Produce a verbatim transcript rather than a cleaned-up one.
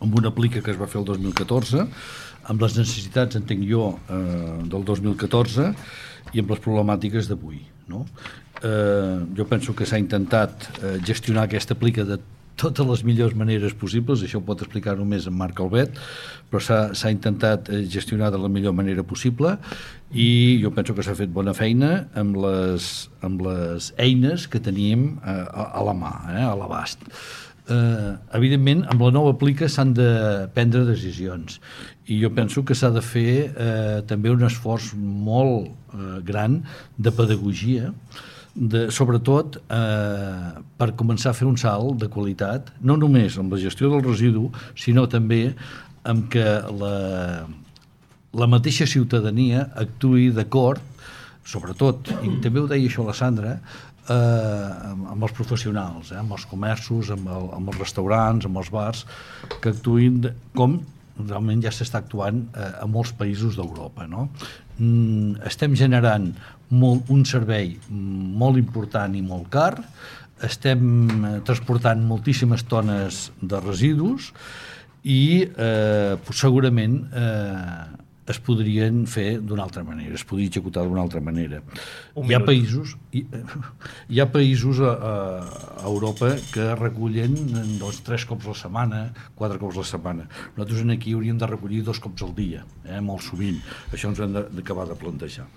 amb una plica que es va fer el dos mil catorze, amb les necessitats, entenc jo, eh, del dos mil catorze i amb les problemàtiques d'avui, no? Eh, jo penso que s'ha intentat eh, gestionar aquesta plica de totes les millors maneres possibles, això ho pot explicar només en Marc Albet, però s'ha intentat gestionar de la millor manera possible i jo penso que s'ha fet bona feina amb les, amb les eines que tenim a, a la mà, eh, a l'abast. Eh, evidentment, amb la nova plica s'han de prendre decisions i jo penso que s'ha de fer eh, també un esforç molt eh, gran de pedagogia, de, sobretot eh, per començar a fer un salt de qualitat, no només amb la gestió del residu, sinó també amb que la, la mateixa ciutadania actuï d'acord, sobretot, i també ho deia això la Sandra, eh, amb, amb els professionals, eh, amb els comerços, amb, el, amb els restaurants, amb els bars, que actuïn de, com realment ja s'està actuant eh, a molts països d'Europa, no? Mm, estem generant molt, un servei molt important i molt car, estem transportant moltíssimes tones de residus i eh, segurament eh, es podrien fer d'una altra manera, es podria executar d'una altra manera. Hi ha països, hi, hi ha països a, a Europa que recullen doncs, tres cops a la setmana, quatre cops a la setmana. Nosaltres aquí hauríem de recollir dos cops al dia, eh, molt sovint. Això ens ho hem d'acabar de plantejar.